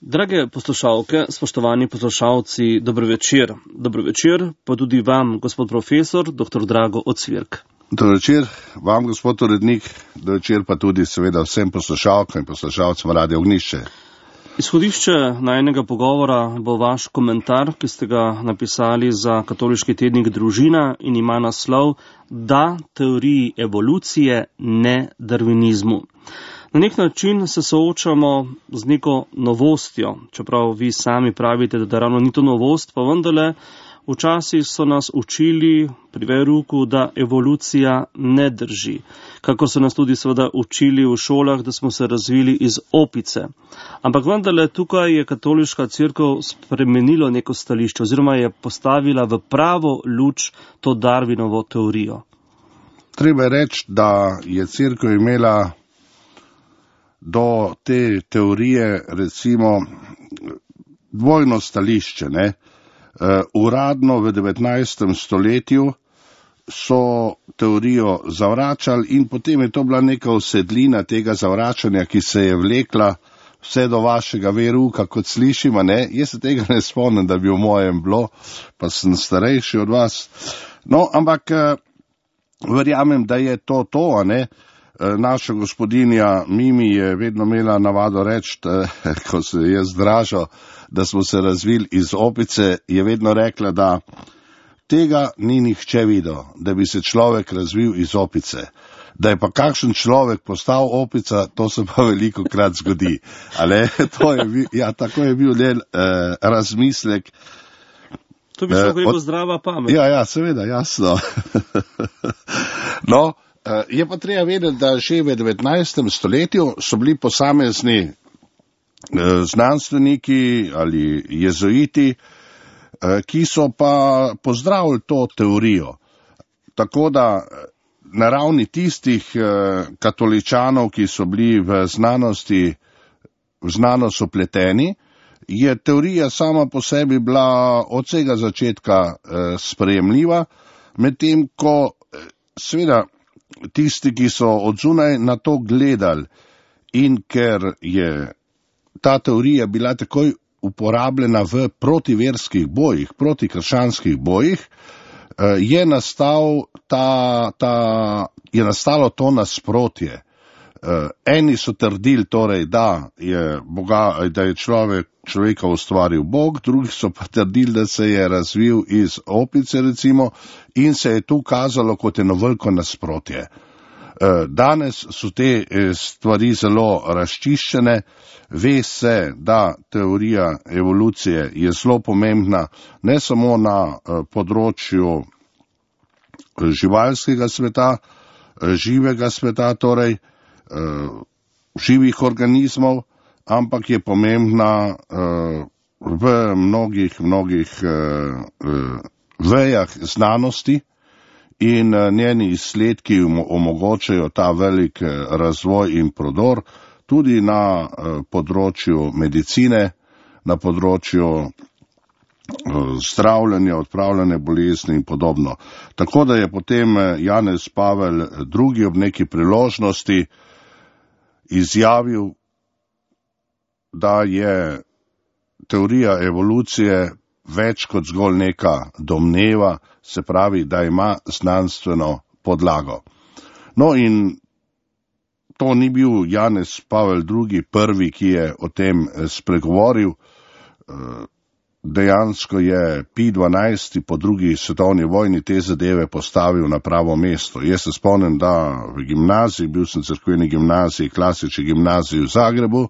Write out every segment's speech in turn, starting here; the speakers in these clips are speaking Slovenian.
Drage poslušalke, spoštovani poslušalci, dobro večer. Dobro večer pa tudi vam, gospod profesor, dr. Drago Ocvirk. Dobro večer vam, gospod urednik, dobro večer pa tudi seveda vsem poslušalkam in poslušalcem Radia Ognjišče. Izhodišče najinega pogovora bo vaš komentar, ki ste ga napisali za katoliški tednik Družina in ima naslov Da teoriji evolucije, ne darvinizmu. Na nek način se soočamo z neko novostjo, čeprav vi sami pravite, da ravno ni to novost, pa vendarle včasih so nas učili pri veruku, da evolucija ne drži. Kako so nas tudi seveda učili v šolah, da smo se razvili iz opice. Ampak vendarle tukaj je katoliška cerkev spremenila neko stališče oziroma je postavila v pravo luč to Darwinovo teorijo. Treba je reči, da je cerkev imela do te teorije recimo dvojno stališče, ne? Uradno v 19. stoletju so teorijo zavračali in potem je to bila neka usedlina tega zavračanja, ki se je vlekla vse do vašega veruka, kot slišimo, ne? Jaz se tega ne spomnim, da bi v mojem bilo, pa sem starejši od vas. No, ampak verjamem, da je to, ne? Naša gospodinja Mimi je vedno imela navado reči, ko se je zdražal, da smo se razvili iz opice, je vedno rekla, da tega ni nihče videl, da bi se človek razvil iz opice. Da je pa kakšen človek postal opica, to se pa veliko krat zgodi. Ale, tako je bil razmislek. To bi šlo rekel zdrava pamet. Ja, seveda, jasno. No, je pa treba vedeti, da že v 19. stoletju so bili posamezni znanstveniki ali jezuiti, ki so pa pozdravili to teorijo. Tako da na ravni tistih katoličanov, ki so bili v znanost upleteni, je teorija sama po sebi bila od vsega začetka sprejemljiva, medtem ko seveda tisti, ki so od zunaj na to gledali in ker je ta teorija bila takoj uporabljena v protiverskih bojih, protikrščanskih bojih, je nastalo to nasprotje. Eni so trdili torej, da je človeka ustvaril Bog, drugi so pa trdili, da se je razvil iz opice recimo in se je tu kazalo kot eno veliko nasprotje. Danes so te stvari zelo razčiščene, ve se, da teorija evolucije je zelo pomembna ne samo na področju živalskega sveta, živega sveta, torej živih organizmov, ampak je pomembna v mnogih vejah znanosti in njeni izsledki omogočajo ta velik razvoj in prodor tudi na področju medicine, na področju zdravljenja, odpravljanja bolezni in podobno. Tako da je potem Janez Pavel II ob neki priložnosti izjavil, da je teorija evolucije več kot zgolj neka domneva, se pravi, da ima znanstveno podlago. No in to ni bil Janez Pavel II prvi, ki je o tem spregovoril. Dejansko je Pij XII po drugi svetovni vojni te zadeve postavil na pravo mesto. Jaz se spomnim, da v gimnaziji, bil sem v cerkveni gimnaziji, klasični gimnaziji v Zagrebu,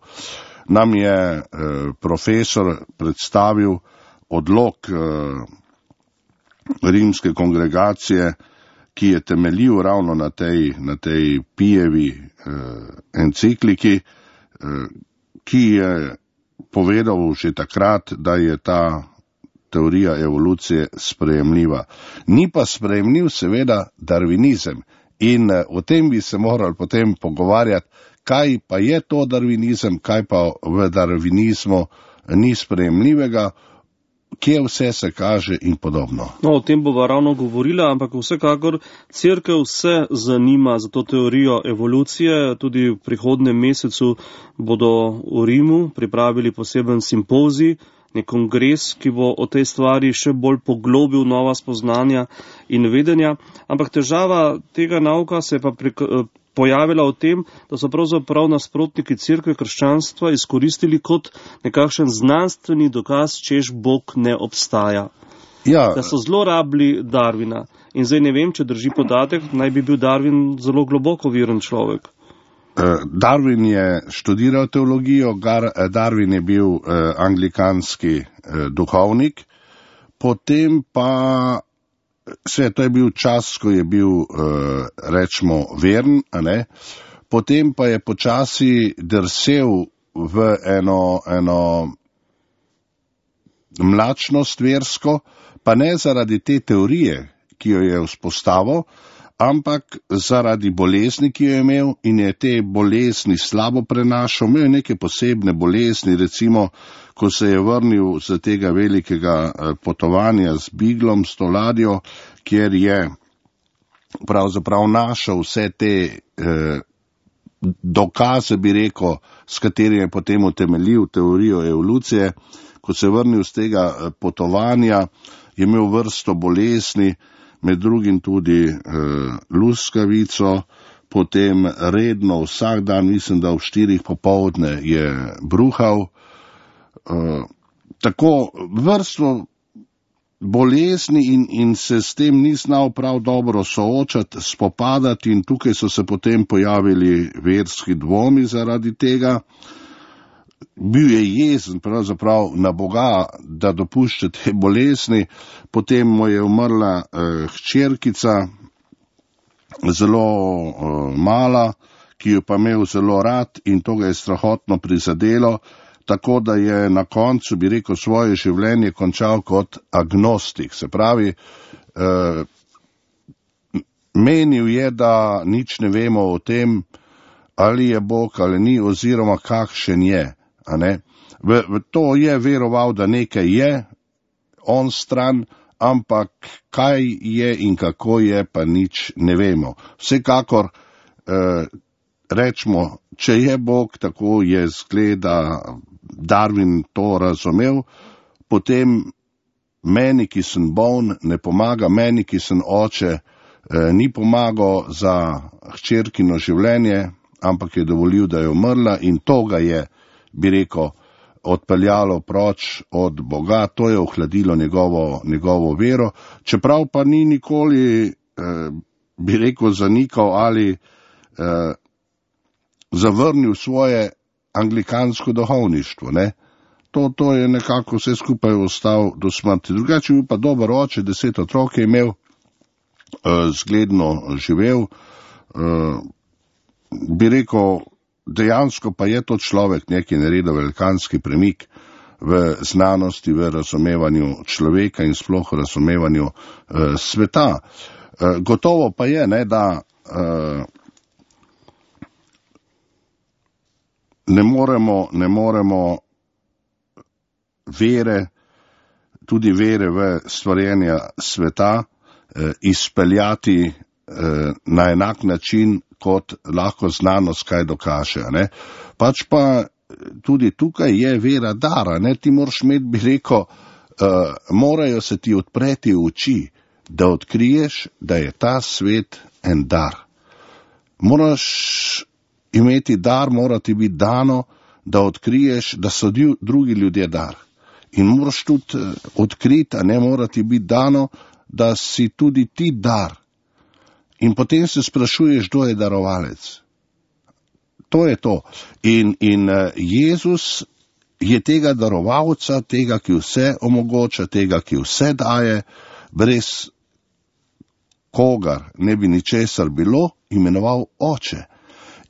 nam je profesor predstavil odlok rimske kongregacije, ki je temeljil ravno na tej Pijevi encikliki, ki je povedal že takrat, da je ta teorija evolucije sprejemljiva. Ni pa sprejemljiv seveda darvinizem in o tem bi se morali potem pogovarjati, kaj pa je to darvinizem, kaj pa v darvinizmu ni sprejemljivega. kje vse se kaže in podobno. No, o tem bova ravno govorila, ampak vsekakor Cerkev se zanima za to teorijo evolucije. Tudi v prihodnem mesecu bodo v Rimu pripravili poseben simpozij, nek kongres, ki bo o tej stvari še bolj poglobil nova spoznanja in vedenja. Ampak težava tega nauka se je pa pojavila v tem, da so pravzaprav nasprotniki Cerkve krščanstva izkoristili kot nekakšen znanstveni dokaz, češ Bog ne obstaja. Ja. Da so zelo rabili Darwina. In zdaj ne vem, če drži podatek, naj bi bil Darwin zelo globoko veren človek. Darwin je študiral teologijo, Darwin je bil anglikanski duhovnik, potem pa to je bil čas, ko je bil, rečemo, veren, a ne? Potem pa je počasi drsel v eno mlačnost versko, pa ne zaradi te teorije, ki jo je vzpostavil, ampak zaradi bolezni, ki jo je imel in je te bolezni slabo prenašal. Imel je neke posebne bolezni, recimo, ko se je vrnil z tega velikega potovanja z Biglom, s to ladjo, kjer je pravzaprav našel vse te dokaze, bi rekel, s katerimi je potem utemeljil teorijo evolucije. Ko se je vrnil z tega potovanja, je imel vrsto bolezni, med drugim tudi luskavico, potem redno vsak dan, mislim, da ob 4 popoldne je bruhal. Tako vrsto bolezni in se s tem ni znal prav dobro soočati, spopadati in tukaj so se potem pojavili verski dvomi zaradi tega. Bil je jezen pravzaprav na Boga, da dopušča te bolezni, potem mu je umrla hčerkica, zelo mala, ki jo pa imel zelo rad in to ga je strahotno prizadelo, tako da je na koncu, bi rekel, svoje življenje končal kot agnostik. Se pravi, menil je, da nič ne vemo o tem, ali je Bog ali ni, oziroma kakšen je. A ne? V to je veroval, da nekaj je on stran, ampak kaj je in kako je, pa nič ne vemo. Vsekakor rečemo, če je Bog, tako je zgleda Darwin to razumel, potem meni, ki sem boln, ne pomaga, meni, ki sem oče, ni pomagal za hčerkino življenje, ampak je dovolil, da je umrla in to ga je, bi rekel, odpeljalo proč od Boga, to je ohladilo njegovo vero, čeprav pa ni nikoli, bi rekel, zanikal ali zavrnil svoje anglikansko duhovništvo, ne. To je nekako vse skupaj ostal do smrti. Drugače bil pa dober oče, 10 otrok je imel, zgledno živel, bi rekel, dejansko pa je to človek neki naredil velikanski premik v znanosti, v razumevanju človeka in sploh v razumevanju sveta. Gotovo pa je, ne, da ne moremo vere, tudi vere v stvarjenja sveta, izpeljati na enak način, kot lahko znanost kaj dokaže. Ne? Pač pa tudi tukaj je vera dara. Ne? Ti moraš imeti, bi rekel, morajo se ti odpreti oči, da odkriješ, da je ta svet en dar. Moraš imeti dar, mora ti biti dano, da odkriješ, da so drugi ljudje dar. In moraš tudi odkriti, a ne mora ti biti dano, da si tudi ti dar. In potem se sprašuješ, kdo je darovalec. To je to. In Jezus je tega darovalca, tega, ki vse omogoča, tega, ki vse daje, brez kogar ne bi ničesar bilo, imenoval oče.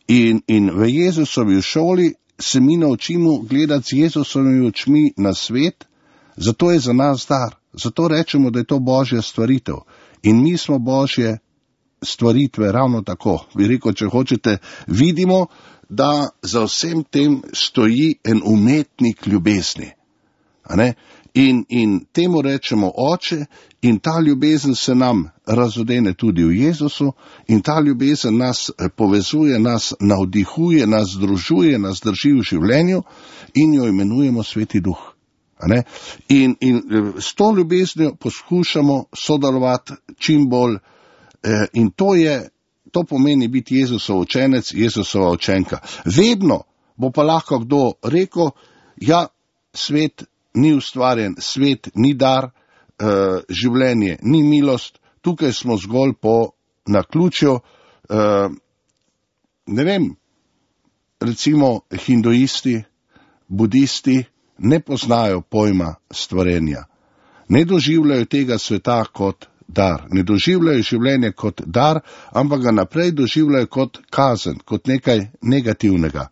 In v Jezusovi šoli se mi naučimo gledati z Jezusovimi očmi na svet, zato je za nas dar. Zato rečemo, da je to Božja stvaritev. In mi smo Božje stvaritve ravno tako. Vi rekel, če hočete, vidimo, da za vsem tem stoji en umetnik ljubezni. A ne? In temu rečemo oče, in ta ljubezen se nam razodene tudi v Jezusu, in ta ljubezen nas povezuje, nas navdihuje, nas združuje, nas drži v življenju in jo imenujemo Sveti Duh. In s to ljubeznijo poskušamo sodelovati čim bolj, in to pomeni biti Jezusov učenec, Jezusova učenka. Vedno bo pa lahko kdo rekel, ja, svet ni ustvarjen, svet ni dar, življenje ni milost, tukaj smo zgolj po naključju, ne vem, recimo hinduisti, budisti ne poznajo pojma stvarjenja, ne doživljajo tega sveta kot dar, ne doživljajo življenje kot dar, ampak ga naprej doživljajo kot kazen, kot nekaj negativnega.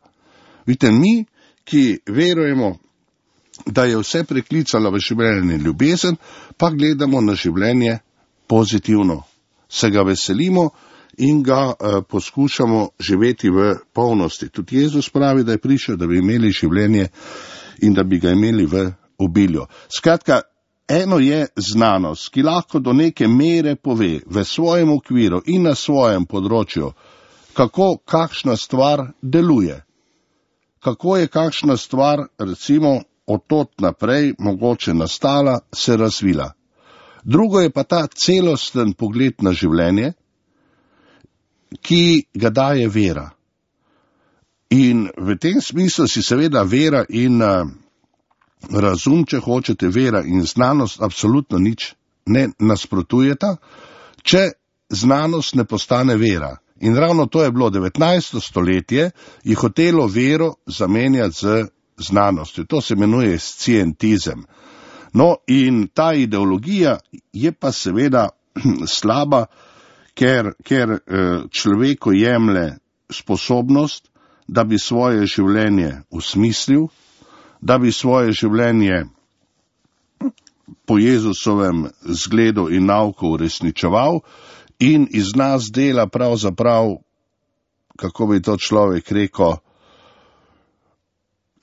Vidite, mi, ki verujemo, da je vse preklicalo v življenje ljubezen, pa gledamo na življenje pozitivno. Se ga veselimo in ga poskušamo živeti v polnosti. Tudi Jezus pravi, da je prišel, da bi imeli življenje in da bi ga imeli v obilju. Skratka, eno je znanost, ki lahko do neke mere pove v svojem okviru in na svojem področju, kako kakšna stvar deluje. Kako je kakšna stvar, recimo, od tod naprej mogoče nastala, se razvila. Drugo je pa ta celosten pogled na življenje, ki ga daje vera. In v tem smislu si seveda vera in razum, če hočete, vera in znanost absolutno nič ne nasprotujeta, če znanost ne postane vera. In ravno to je bilo 19. stoletje, je hotelo vero zamenjati z znanostjo. To se imenuje scientizem. No, in ta ideologija je pa seveda slaba, ker človeku jemlje sposobnost, da bi svoje življenje usmislil, da bi svoje življenje po Jezusovem zgledu in nauku uresničeval in iz nas dela pravzaprav, kako bi to človek rekel,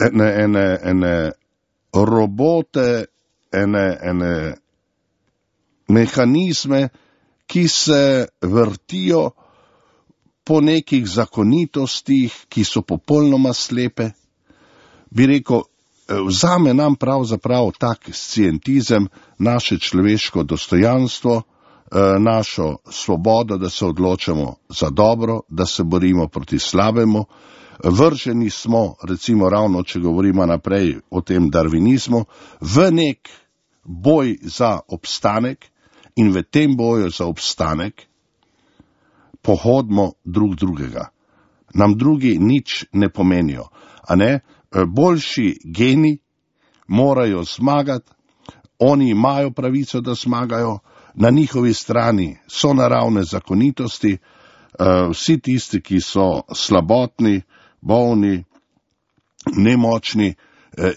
ene robote, ene mehanizme, ki se vrtijo po nekih zakonitostih, ki so popolnoma slepe. Bi rekel, vzame nam pravzaprav tak scientizem naše človeško dostojanstvo, našo svobodo, da se odločamo za dobro, da se borimo proti slabemu. Vrženi smo, recimo ravno, če govorimo naprej o tem darvinizmu, v nek boj za obstanek in v tem boju za obstanek pohodimo drugega. Nam drugi nič ne pomenijo. Boljši geni morajo zmagati, oni imajo pravico, da zmagajo, na njihovi strani so naravne zakonitosti, vsi tisti, ki so slabotni, bolni, nemočni,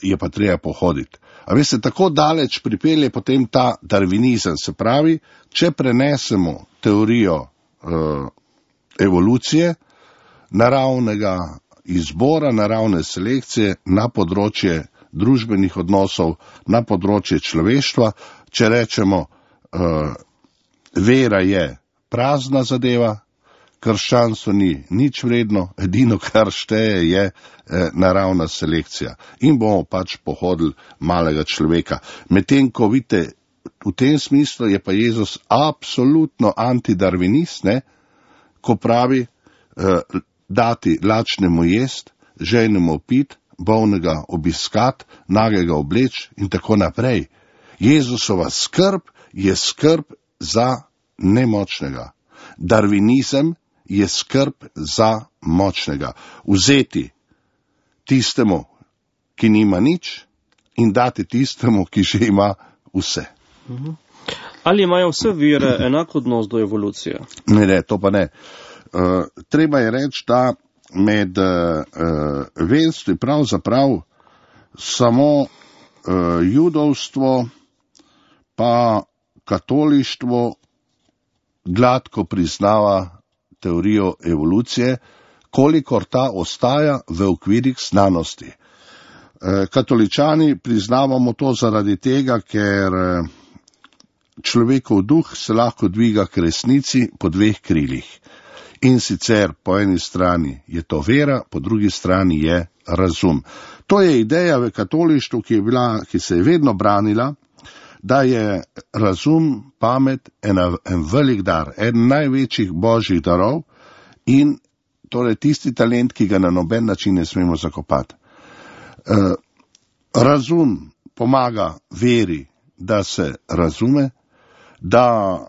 je pa treba pohoditi. A veste, tako daleč pripelje potem ta darvinizem, se pravi, če prenesemo teorijo evolucije, naravnega izbora, naravne selekcije na področje družbenih odnosov, na področje človeštva, če rečemo, vera je prazna zadeva, krščanstvo ni nič vredno, edino kar šteje je naravna selekcija. In bomo pač pohodili malega človeka. Medtem ko vidite, v tem smislu je pa Jezus absolutno antidarvinist, ko pravi dati lačnemu jest, žejnemu pit, bolnega obiskat, nagega obleč in tako naprej. Jezusova skrb je skrb za nemočnega. Darvinizem je skrb za močnega. Vzeti tistemu, ki nima nič, in dati tistemu, ki že ima vse. Ali imajo vse vere enak odnos do evolucije? Ne, to pa ne. Treba je reči, da med verstvi pravzaprav samo judovstvo pa katolištvo gladko priznava teorijo evolucije, kolikor ta ostaja v okvirih znanosti. Katoličani priznavamo to zaradi tega, ker človekov duh se lahko dviga k resnici po dveh krilih. In sicer po eni strani je to vera, po drugi strani je razum. To je ideja v katolištvu, ki se je vedno branila, da je razum, pamet en velik dar, en največjih božjih darov in torej tisti talent, ki ga na noben način ne smemo zakopati. Razum pomaga veri, da se razume, da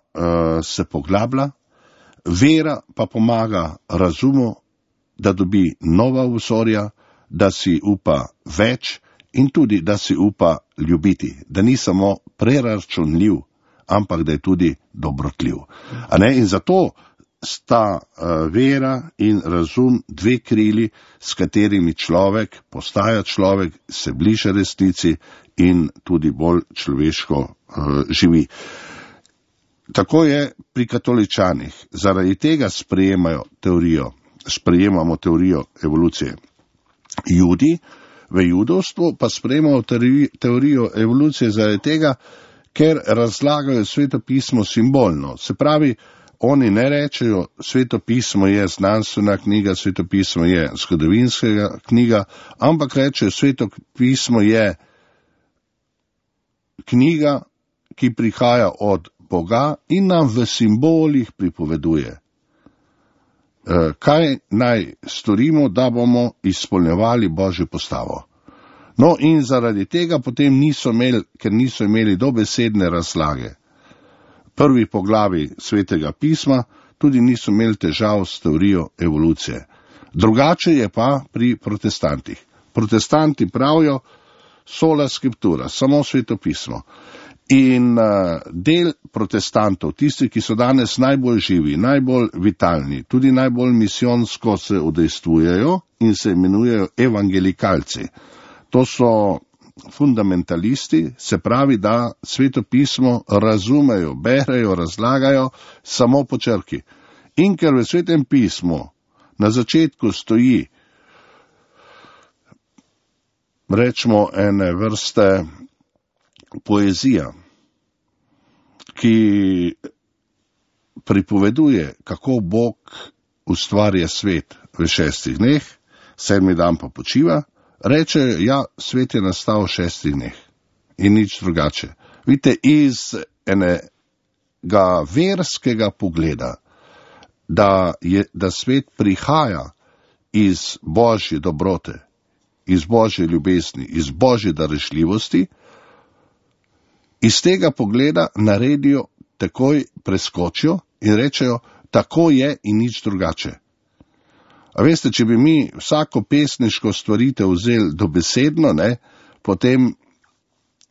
se poglablja, vera pa pomaga razumu, da dobi nova vzorja, da si upa več in tudi, da si upa ljubiti, da ni samo preračunljiv, ampak da je tudi dobrotljiv. In zato sta vera in razum dve krili, s katerimi človek postaja človek, se bliža resnici in tudi bolj človeško živi. Tako je pri katoličanih. Zaradi tega sprejemamo teorijo evolucije. Judi v judovstvu pa sprejemamo teorijo evolucije zaradi tega, ker razlagajo Sveto pismo simbolno. Se pravi, oni ne rečejo, Sveto pismo je znanstvena knjiga, Sveto pismo je zgodovinska knjiga, ampak rečejo, Sveto pismo je knjiga, ki prihaja od Boga in nam v simbolih pripoveduje, kaj naj storimo, da bomo izpolnjevali Božjo postavo. No in zaradi tega potem ker niso imeli dobesedne razlage prvi poglavi Svetega pisma, tudi niso imeli težav s teorijo evolucije. Drugače je pa pri protestantih. Protestanti pravijo sola scriptura, samo Sveto pismo. In del protestantov, tisti, ki so danes najbolj živi, najbolj vitalni, tudi najbolj misijonsko se udejstvujejo in se imenujejo evangelikalci. To so fundamentalisti, se pravi, da Sveto pismo razumejo, berejo, razlagajo samo po črki. In ker v Svetem pismu na začetku stoji, rečemo, ene vrste poezija, ki pripoveduje, kako Bog ustvarja svet v 6 dneh, 7. dan pa počiva, reče, ja, svet je nastal v 6 dneh in nič drugače. Vidite, iz enega verskega pogleda, da svet prihaja iz Božje dobrote, iz Božje ljubezni, iz Božje darešljivosti, iz tega pogleda naredijo, takoj preskočijo in rečejo, tako je in nič drugače. A veste, če bi mi vsako pesniško stvaritev vzeli dobesedno, potem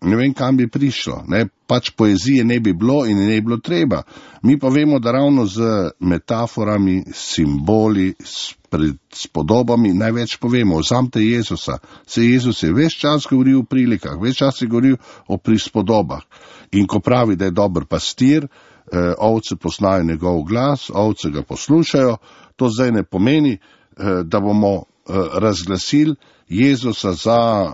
ne vem, kam bi prišlo. Pač poezije ne bi bilo in ne bi bilo treba. Mi pa vemo, da ravno z metaforami, simboli, s podobami največ povemo. Vzamite Jezusa. Jezus je ves čas govoril o prilikah, ves čas je govoril o prispodobah. In ko pravi, da je dober pastir, ovce poznajo njegov glas, ovce ga poslušajo, to zdaj ne pomeni, da bomo razglasili Jezusa za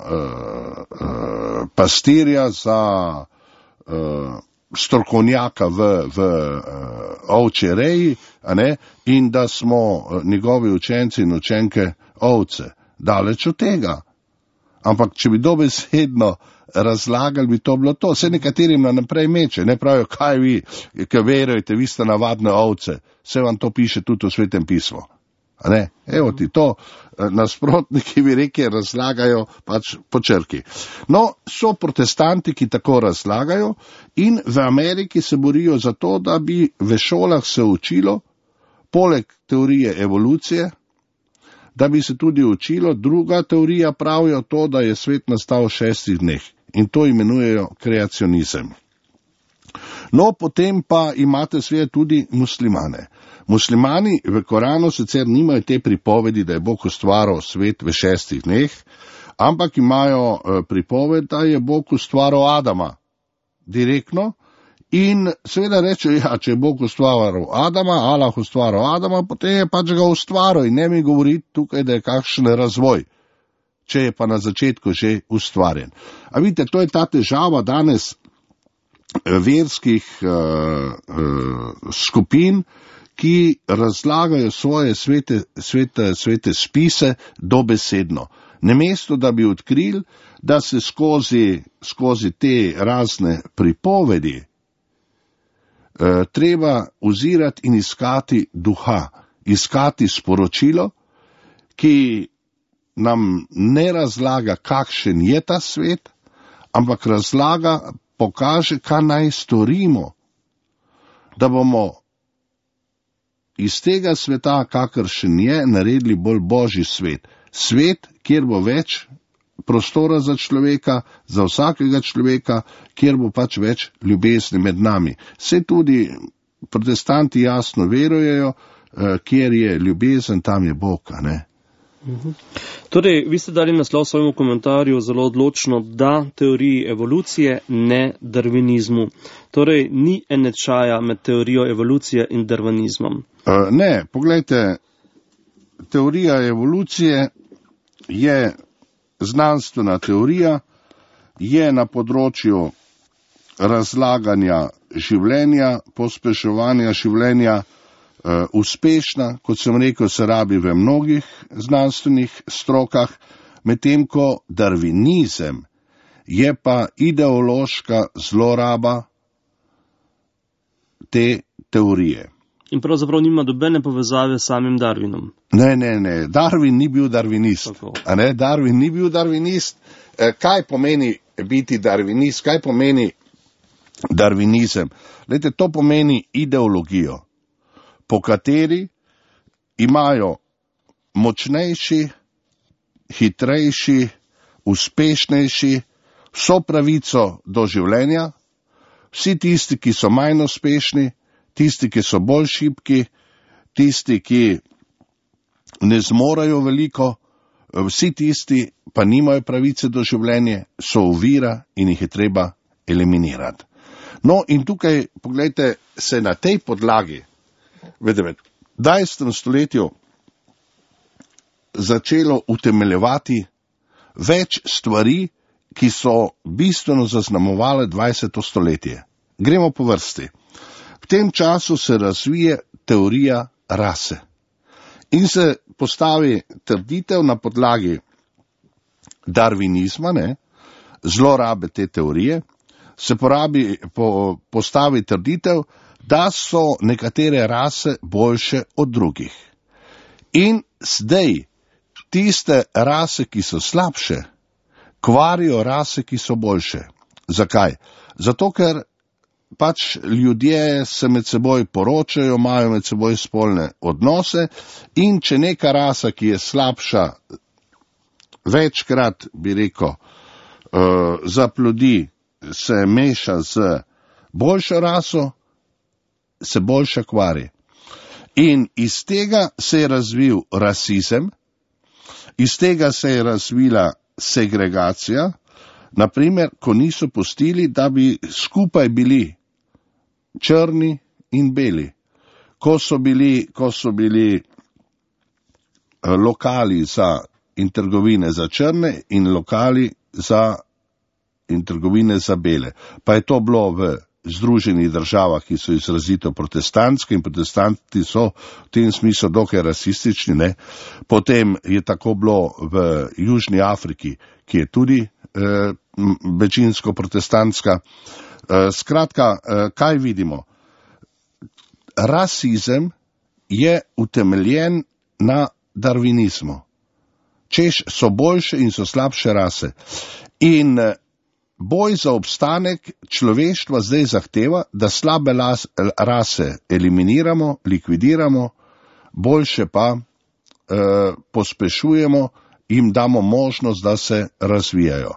pastirja, za strokovnjaka v ovčji reji, in da smo njegovi učenci in učenke ovce. Daleč od tega. Ampak če bi dobesedno razlagali, bi to bilo to. Vse nekaterim naprej meče, ne pravijo, kaj vi, ki verujete, vi ste navadne ovce. Vse vam to piše tudi v Svetem pismu. Evo ti to, nasprotniki bi rekli, razlagajo pač po črki. No, so protestanti, ki tako razlagajo, in v Ameriki se borijo za to, da bi v šolah se učilo, poleg teorije evolucije, da bi se tudi učilo, druga teorija pravijo to, da je svet nastal v 6 dneh. In to imenujejo kreacionizem. No, potem pa imate seveda tudi muslimane. Muslimani v Koranu sicer nimajo te pripovedi, da je Bog ustvaril svet v 6 dneh, ampak imajo pripoved, da je Bog ustvaril Adama direktno in seveda reče, ja, če je Bog ustvaril Adama, Allah ustvaril Adama, potem je pač ga ustvaril in ne mi govoriti tukaj, da je kakšen razvoj. če je pa na začetku že ustvarjen. A vidite, to je ta težava danes verskih skupin, ki razlagajo svoje svete spise dobesedno. Namesto da bi odkrili, da se skozi te razne pripovedi treba ozirati in iskati duha, iskati sporočilo, ki nam ne razlaga, kakšen je ta svet, ampak pokaže, kaj naj storimo, da bomo iz tega sveta, kakršen je, naredili bolj božji svet. Svet, kjer bo več prostora za človeka, za vsakega človeka, kjer bo pač več ljubezni med nami. Saj tudi protestanti jasno verujejo, kjer je ljubezen, tam je Bog, a ne? Torej, vi ste dali naslov svojemu komentarju zelo odločno, da teoriji evolucije, ne darvinizmu. Torej, ni enečaja med teorijo evolucije in darvinizmom. Ne, poglejte, teorija evolucije je znanstvena teorija, je na področju razlaganja življenja, pospeševanja življenja uspešna, kot sem rekel, se rabi v mnogih znanstvenih strokah, medtem ko darvinizem je pa ideološka zloraba te teorije. In pravzaprav nima nobene povezave s samim Darwinom. Ne, Darwin ni bil darvinist. Darwin ni bil darvinist. Kaj pomeni biti darvinist? Kaj pomeni darvinizem? Glejte, to pomeni ideologijo, po kateri imajo močnejši, hitrejši, uspešnejši vso pravico do življenja, vsi tisti, ki so manj uspešni, tisti, ki so bolj šibki, tisti, ki ne zmorejo veliko, vsi tisti pa nimajo pravice do življenja, so ovira in jih je treba eliminirati. No in tukaj, poglejte, se na tej podlagi v 19. stoletju začelo utemeljevati več stvari, ki so bistveno zaznamovale 20. stoletje. Gremo po vrsti. V tem času se razvije teorija rase in se postavi trditev na podlagi darvinizma, zlorabe te teorije, se postavi trditev, da so nekatere rase boljše od drugih. In zdaj tiste rase, ki so slabše, kvarijo rase, ki so boljše. Zakaj? Zato, ker pač ljudje se med seboj poročajo, imajo med seboj spolne odnose in če neka rasa, ki je slabša, večkrat, bi rekel, zaplodi, se meša z boljšo raso, se boljša kvari. In iz tega se je razvil rasizem, iz tega se je razvila segregacija, naprimer, ko niso pustili, da bi skupaj bili črni in beli. Ko so bili lokali in trgovine za črne in lokali in trgovine za bele. Pa je to bilo v Združenih državah, ki so izrazito protestantske in protestanti so v tem smislu dokaj rasistični, ne. Potem je tako bilo v Južni Afriki, ki je tudi večinsko protestantska. Skratka, kaj vidimo? Rasizem je utemeljen na darvinizmu. Češ so boljše in so slabše rase. In boj za obstanek človeštva zdaj zahteva, da slabe rase eliminiramo, likvidiramo, boljše pa pospešujemo, jim damo možnost, da se razvijajo.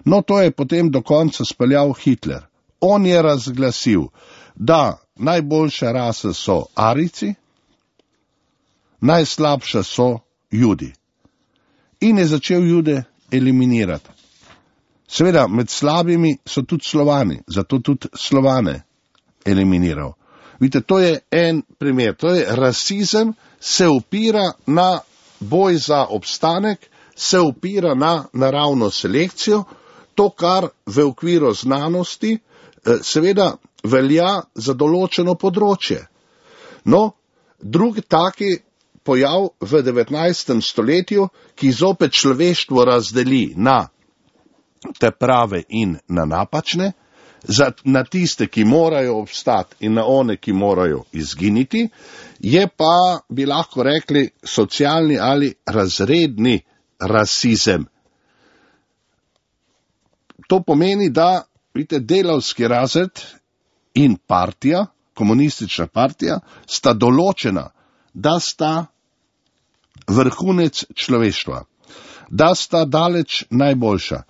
No, to je potem do konca speljal Hitler. On je razglasil, da najboljše rase so Arijci, najslabše so Judi. In je začel Jude eliminirati. Seveda, med slabimi so tudi Slovani, zato tudi Slovane eliminiral. Vidite, to je en primer. To je rasizem, se opira na boj za obstanek, se opira na naravno selekcijo, to, kar v okviru znanosti seveda velja za določeno področje. No, drugi taki pojav v 19. stoletju, ki zopet človeštvo razdeli na te prave in na napačne, na tiste, ki morajo obstati in na one, ki morajo izginiti, je pa, bi lahko rekli, socialni ali razredni rasizem. To pomeni, da vidite, delavski razred in partija, komunistična partija, sta določena, da sta vrhunec človeštva, da sta daleč najboljša.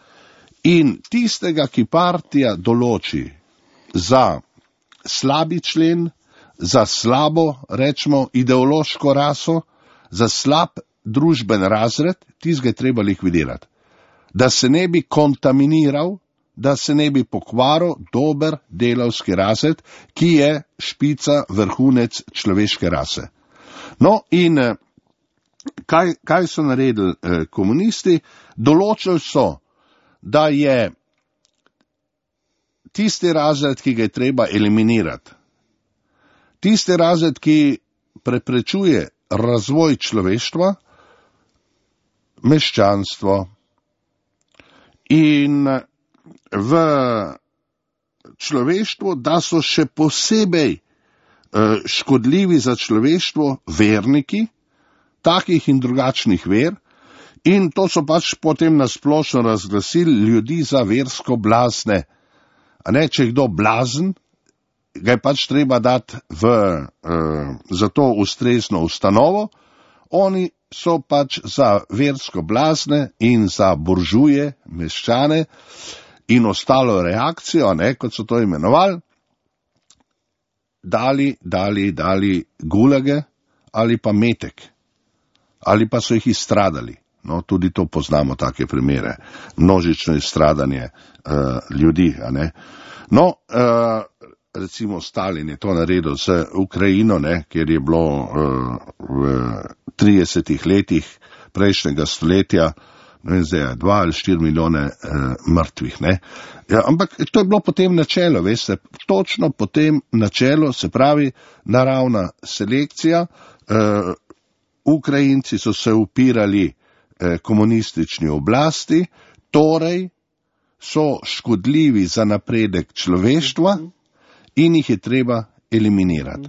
In tistega, ki partija določi za slabi člen, za slabo, rečemo, ideološko raso, za slab družben razred, tistega je treba likvidirati. Da se ne bi kontaminiral, da se ne bi pokvaril dober delavski razred, ki je špica, vrhunec človeške rase. No in kaj so naredili komunisti? Določili so, da je tisti razred, ki ga je treba eliminirati, tisti razred, ki preprečuje razvoj človeštva, meščanstvo. In v človeštvu, da so še posebej škodljivi za človeštvo verniki, takih in drugačnih ver, in to so pač potem nasplošno razglasili ljudi za versko blazne. A ne, če je kdo blazen, ga je pač treba dati za to ustrezno ustanovo, oni so pač za versko blazne in za buržuje, meščane in ostalo reakcijo, ne, kot so to imenovali, dali gulage ali pa metek, ali pa so jih izstradali. No, tudi to poznamo, take primere, množično izstradanje ljudi, a ne. No, recimo Stalin je to naredil z Ukrajino, ne, kjer je bilo v 30 letih prejšnjega stoletja, ne vem zdaj, 2 ali 4 milijone mrtvih, ne. Ja, ampak to je bilo potem načelo, veste, točno potem načelo, se pravi naravna selekcija, Ukrajinci so se upirali komunistični oblasti, torej so škodljivi za napredek človeštva in jih je treba eliminirati.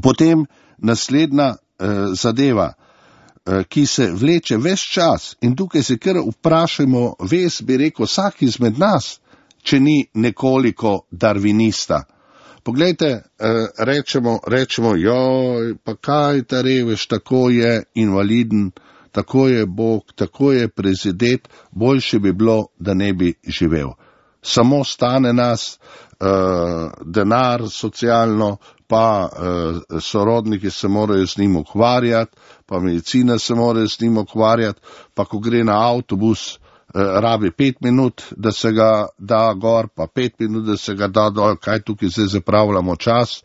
Potem naslednja zadeva, ki se vleče ves čas, in tukaj se kar vprašajmo, bi rekel, vsak izmed nas, če ni nekoliko darvinista. Poglejte, rečemo, joj, pa kaj ta revež, tako je invaliden, tako je Bog, tako je prezidet, boljše bi bilo, da ne bi živel. Samo stane nas denar socialno, pa sorodniki se morajo z njim ukvarjati, pa medicina se mora z njim ukvarjati, pa ko gre na avtobus, rabi 5 minut, da se ga da gor, pa 5 minut, da se ga da dol, kaj tukaj zdaj zapravljamo čas.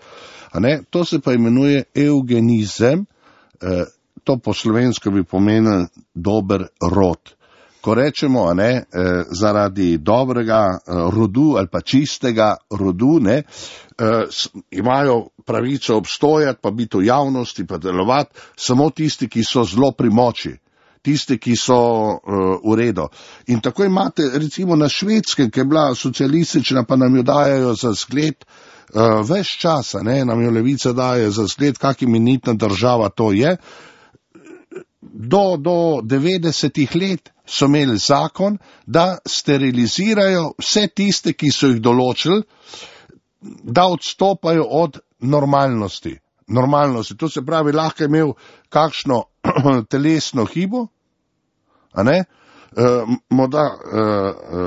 A ne? To se pa imenuje eugenizem, to po slovensko bi pomenil dober rod. Ko rečemo, a ne, zaradi dobrega rodu ali pa čistega rodu, ne, imajo pravico obstojati, pa biti v javnosti, pa delovati, samo tisti, ki so zelo pri moči, tisti, ki so v redu. In tako imate recimo na Švedskem, ki je bila socialistična, pa nam jo dajajo za zgled, ves čas, ne, nam jo levica daje za zgled, kak imenitna država to je. Do 90 let so imeli zakon, da sterilizirajo vse tiste, ki so jih določili, da odstopajo od normalnosti. To se pravi, lahko je imel kakšno telesno hibo, a ne, morda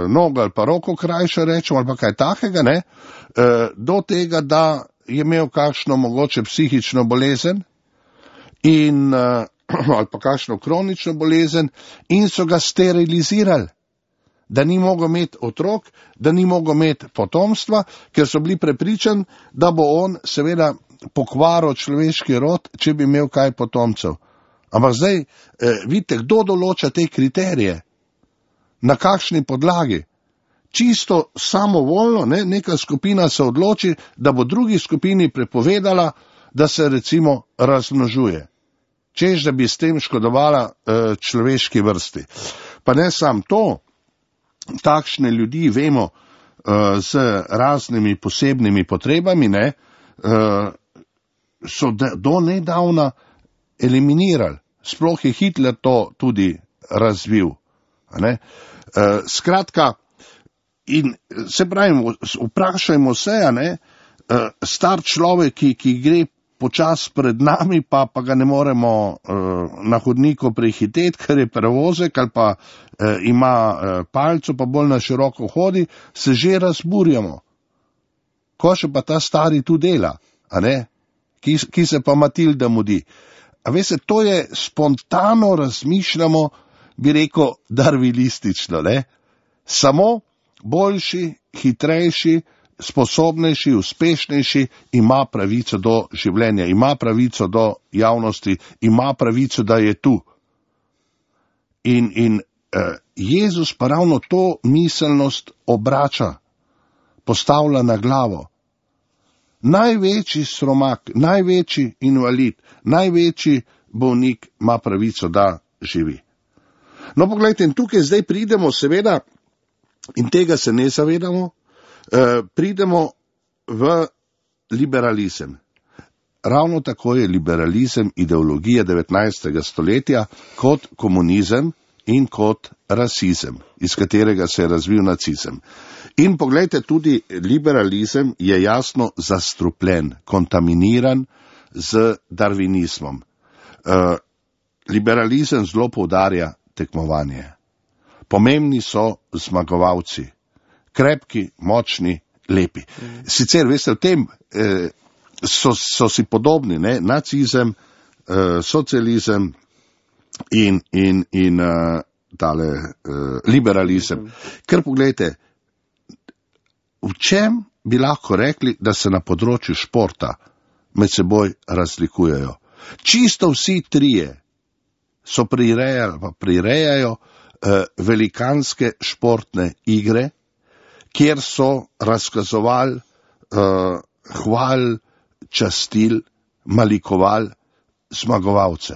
nogo ali pa roko krajšo rečemo, ali pa kaj takega, ne, do tega, da je imel kakšno mogoče psihično bolezen in ali pa kakšno kronično bolezen in so ga sterilizirali, da ni mogel imeti otrok, da ni mogel imeti potomstva, ker so bili prepričani, da bo on seveda pokvaril človeški rod, če bi imel kaj potomcev. Ampak zdaj, vidite, kdo določa te kriterije? Na kakšni podlagi? Čisto samovoljno, ne, neka skupina se odloči, da bo drugi skupini prepovedala, da se recimo razmnožuje. Češ, da bi s tem škodovala človeški vrsti. Pa ne sam to, takšne ljudi vemo z raznimi posebnimi potrebami, ne, so do nedavna eliminirali. Sploh je Hitler to tudi razvil. Ne. Skratka, in se pravim, vprašajmo se, ne, star človek, ki gre počas pred nami, pa ga ne moremo na hodniku prehiteti, ker je prevozek ali pa ima palco, pa bolj na široko hodi, se že razburjamo. Ko še pa ta stari tu dela, a ne, ki se pa Matilda mudi. A veste, to je spontano razmišljamo, bi rekel, darvinistično, ne? Samo boljši, hitrejši, sposobnejši, uspešnejši ima pravico do življenja, ima pravico do javnosti, ima pravico, da je tu. In Jezus pa ravno to miselnost obrača, postavlja na glavo. Največji sromak, največji invalid, največji bolnik ima pravico, da živi. No, poglejte, in tukaj zdaj pridemo, seveda, in tega se ne zavedamo, pridemo v liberalizem. Ravno tako je liberalizem ideologija 19. stoletja kot komunizem in kot rasizem, iz katerega se je razvil nacizem. In poglejte, tudi liberalizem je jasno zastrupljen, kontaminiran z darvinizmom. Liberalizem zelo poudarja tekmovanje. Pomembni so zmagovalci, krepki, močni, lepi. Sicer, veste, v tem so si podobni, ne? Nacizem, socializem in liberalizem. Ker pogledajte, v čem bi lahko rekli, da se na področju športa med seboj razlikujejo? Čisto vsi trije so prirejajo velikanske športne igre, kjer so razkazovali, hvalili, častili, malikovali zmagovalce.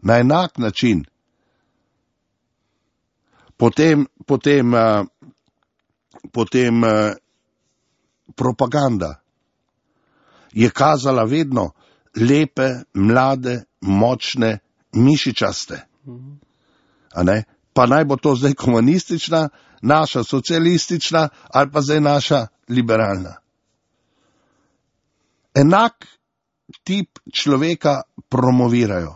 Na enak način. Potem propaganda je kazala vedno lepe, mlade, močne, mišičaste. A ne? Pa naj bo to zdaj komunistična, naša socialistična ali pa zdaj naša liberalna. Enak tip človeka promovirajo.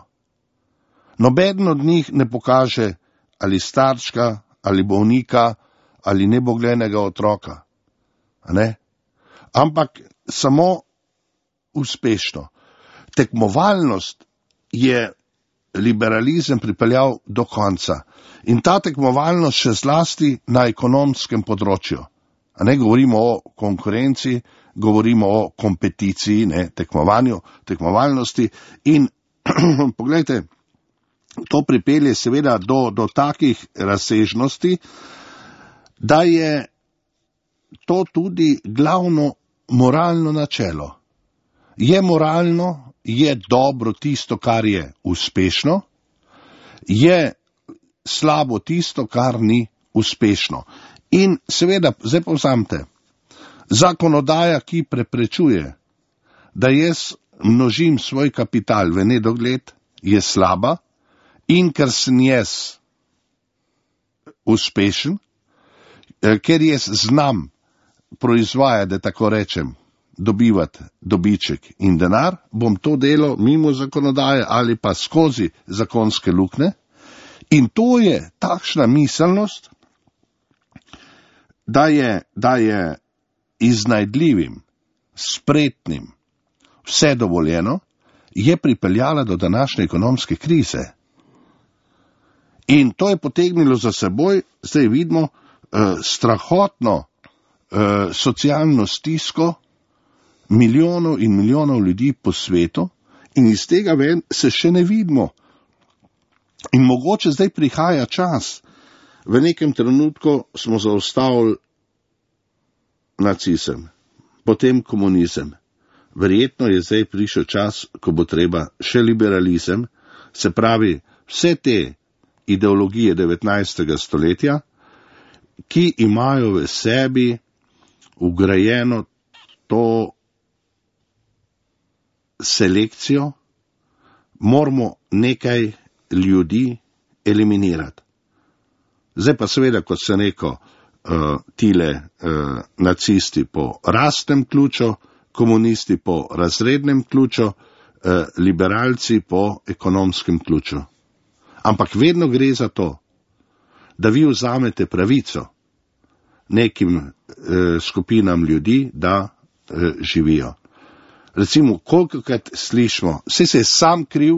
Nobeden od njih ne pokaže ali starčka, ali bolnika, ali neboglenega otroka. A ne? Ampak samo uspešno. Tekmovalnost je liberalizem pripeljal do konca. In ta tekmovalnost še zlasti na ekonomskem področju. A ne govorimo o konkurenci, govorimo o kompeticiji, ne, tekmovanju, tekmovalnosti in pogledajte, to pripelje seveda do takih razsežnosti, da je to tudi glavno moralno načelo. Je moralno, je dobro tisto, kar je uspešno, je slabo tisto, kar ni uspešno. In seveda, zdaj povzamete, zakonodaja, ki preprečuje, da jaz množim svoj kapital v nedogled, je slaba in ker sem jaz uspešen, ker jaz znam proizvajati, da tako rečem, dobivati dobiček in denar, bom to delo mimo zakonodaje ali pa skozi zakonske luknje. In to je takšna miselnost, da je iznajdljivim, spretnim, vse dovoljeno, je pripeljala do današnje ekonomske krize. In to je potegnilo za seboj, zdaj vidimo, strahotno socialno stisko milijonov in milijonov ljudi po svetu in iz tega ven se še ne vidimo, In mogoče zdaj prihaja čas, v nekem trenutku smo zaustavili nacizem, potem komunizem. Verjetno je zdaj prišel čas, ko bo treba še liberalizem, se pravi vse te ideologije 19. stoletja, ki imajo v sebi vgrajeno to selekcijo, moramo nekaj ljudi eliminirati. Zdaj pa seveda, kot sem rekel, tile nacisti po rasnem ključu, komunisti po razrednem ključu, liberalci po ekonomskem ključu. Ampak vedno gre za to, da vi vzamete pravico nekim skupinam ljudi, da živijo. Recimo, kolikokrat slišimo, saj se je sam kriv,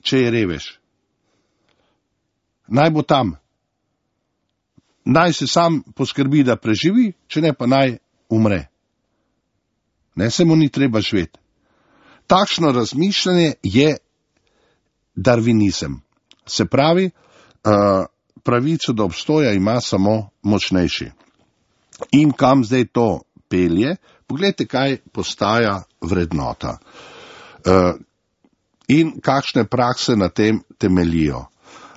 če je revež. Naj bo tam. Naj se sam poskrbi, da preživi, če ne pa naj umre. Ne, se mu ni treba živeti. Takšno razmišljanje je darvinizem. Se pravi, pravico do obstoja ima samo močnejši. In kam zdaj to pelje? Poglejte, kaj postaja vrednota. In kakšne prakse na tem temeljijo.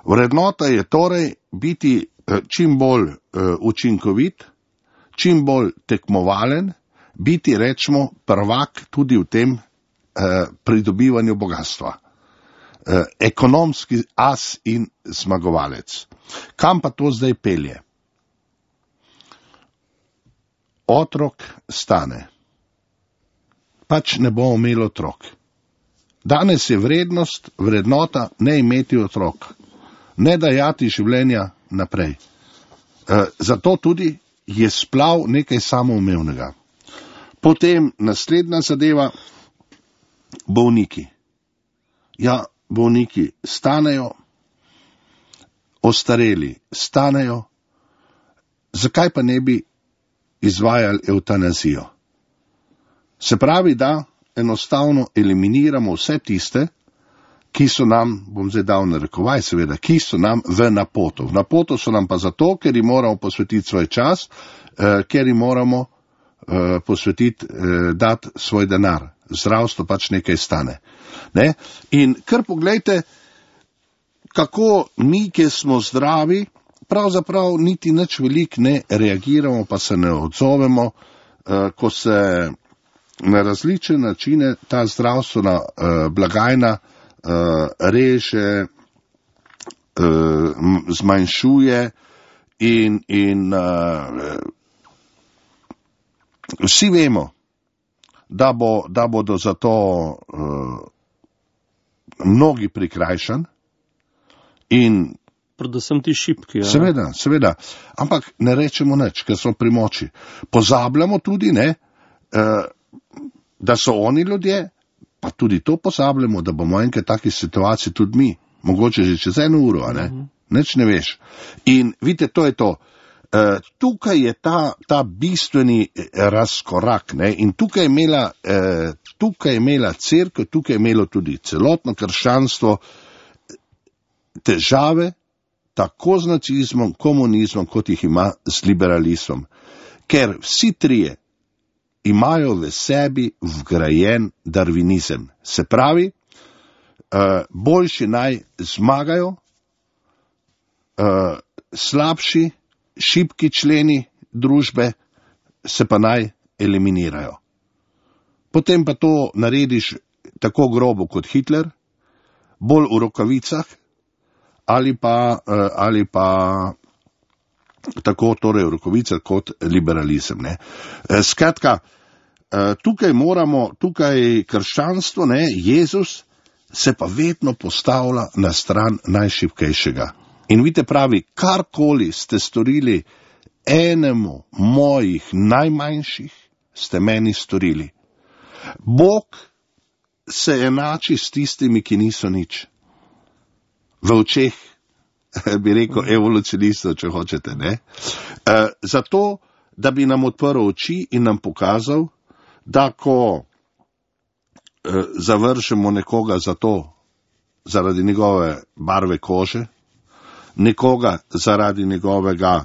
Vrednota je torej biti čim bolj učinkovit, čim bolj tekmovalen, biti, rečemo, prvak tudi v tem pridobivanju bogatstva. Ekonomski as in zmagovalec. Kam pa to zdaj pelje? Otrok stane. Pač ne bomo imeli otrok. Danes je vrednota ne imeti otrok, ne dajati življenja naprej. Zato tudi je splav nekaj samoumevnega. Potem naslednja zadeva, bolniki. Ja, bolniki stanejo, ostareli stanejo, zakaj pa ne bi izvajali evtanazijo? Se pravi, da enostavno eliminiramo vse tiste, ki so nam, bom zdaj dal narekovaj seveda, ki so nam v napoto. V napoto so nam pa zato, ker jim moramo posvetiti svoj čas, ker jim moramo posvetiti, dati svoj denar. Zdravstvo pač nekaj stane. Ne? In kar poglejte, kako mi, ki smo zdravi, pravzaprav niti nič velik ne reagiramo, pa se ne odzovemo, ko se na različne načine ta zdravstvena blagajna reže, zmanjšuje in vsi vemo, da bodo zato mnogi prikrajšani in predvsem ti šibki. Ja. Seveda, ampak ne rečemo nič, ker smo pri moči. Pozabljamo tudi, ne, da so oni ljudje, pa tudi to pozabljamo, da bomo enkrat taki situaciji tudi mi, mogoče že čez 1 uro, a ne? Nič ne veš. In vidite, to je to. Tukaj je ta bistveni razkorak, ne? In tukaj je imela cerkev, tukaj je imelo tudi celotno krščanstvo težave, tako z nacizmom, komunizmom, kot jih ima z liberalizmom. Ker vsi trije imajo v sebi vgrajen darvinizem. Se pravi, boljši naj zmagajo, slabši, šibki členi družbe se pa naj eliminirajo. Potem pa to narediš tako grobo kot Hitler, bolj v rokavicah, ali pa tako torej v rokovicah kot liberalizem. Ne. Skratka, tukaj krščanstvo, ne, Jezus se pa vedno postavlja na stran najšibkejšega. In vidite, pravi, karkoli ste storili enemu mojih najmanjših, ste meni storili. Bog se enači s tistimi, ki niso nič. V očeh, bi rekel, evolucionistov, če hočete, ne. Zato, da bi nam odprl oči in nam pokazal, da ko zavržemo nekoga za to, zaradi njegove barve kože, nekoga zaradi njegovega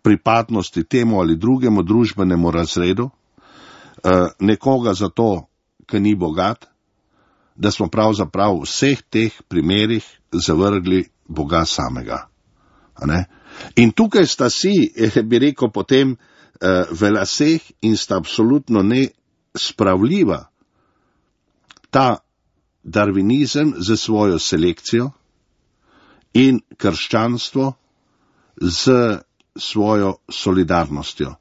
pripadnosti temu ali drugemu družbenemu razredu, nekoga zato, ker ni bogat, da smo pravzaprav v vseh teh primerih zavrgli Boga samega. In tukaj sta si, bi rekel, potem v laseh in sta absolutno nespravljiva ta darvinizem z svojo selekcijo in krščanstvo z svojo solidarnostjo.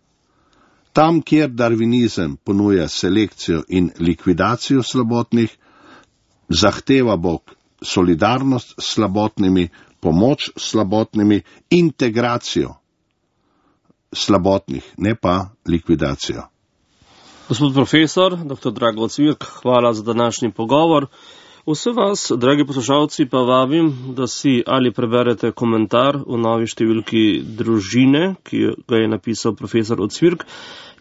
Tam, kjer darvinizem ponuja selekcijo in likvidacijo slabotnih, zahteva Bog solidarnost s slabotnimi, pomoč slabotnimi, integracijo slabotnih, ne pa likvidacijo. Gospod profesor, dr. Drago Cvirk, hvala za današnji pogovor. Vse vas, dragi poslušalci, pa vabim, da si ali preberete komentar v novi številki Družine, ki ga je napisal profesor Cvirk.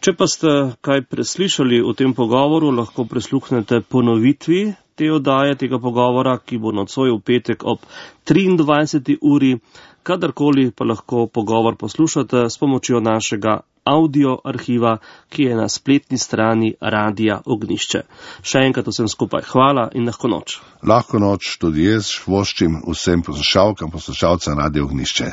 Če pa ste kaj preslišali v tem pogovoru, lahko prisluhnete ponovitvi te oddaje, tega pogovora, ki bo nocoj v petek ob 23. uri. Kadarkoli pa lahko pogovor poslušate s pomočjo našega audio arhiva, ki je na spletni strani Radia Ognišče. Še enkrat vsem skupaj hvala in lahko noč. Lahko noč tudi jaz voščim vsem poslušalkam, poslušalcem Radia Ognišče.